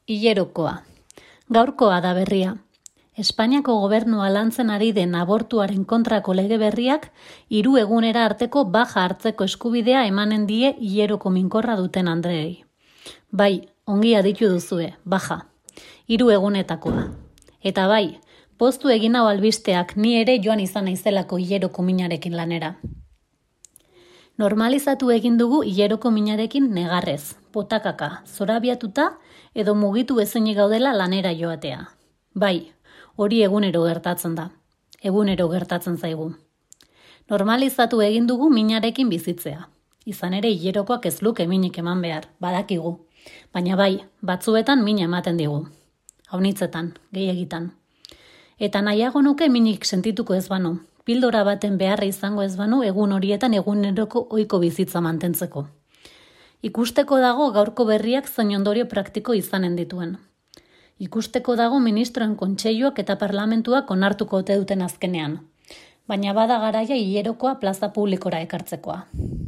Hilerokoa. Gaurkoa da berria. Espainiako gobernua lantzen ari den abortuaren kontrako lege berriak 3 egunera arteko baja hartzeko eskubidea emanen die hileroko minkorra duten andreei. Bai, ongi aditu duzue, baja. 3 egunetakoa. Eta bai, poztu egin hau albisteak ni ere joan izan naizelako hileroko minarekin lanera. Normalizatu egin dugu hileroko minarekin negarrez, potakaka, zorabiatuta edo mugitu ezinik gaudela lanera joatea. Bai, hori egunero gertatzen da. Egunero gertatzen zaigu. Normalizatu egin dugu minarekin bizitzea. Izan ere hilerokoak ez luke minik eman behar, badakigu. Baina bai, batzuetan mina ematen digu. Haunitzetan, gehiegitan. Eta nahiago nuke minik sentituko ez banu. Pildora baten beharra izango ez banu egun horietan eguneroko ohiko bizitza mantentzeko. Ikusteko dago gaurko berriak zein ondorio praktiko izanen dituen. Ikusteko dago ministroen kontseiluak eta parlamentuak onartuko ote duten azkenean. Baina bada garaia hilerokoa plaza publikora ekartzekoa.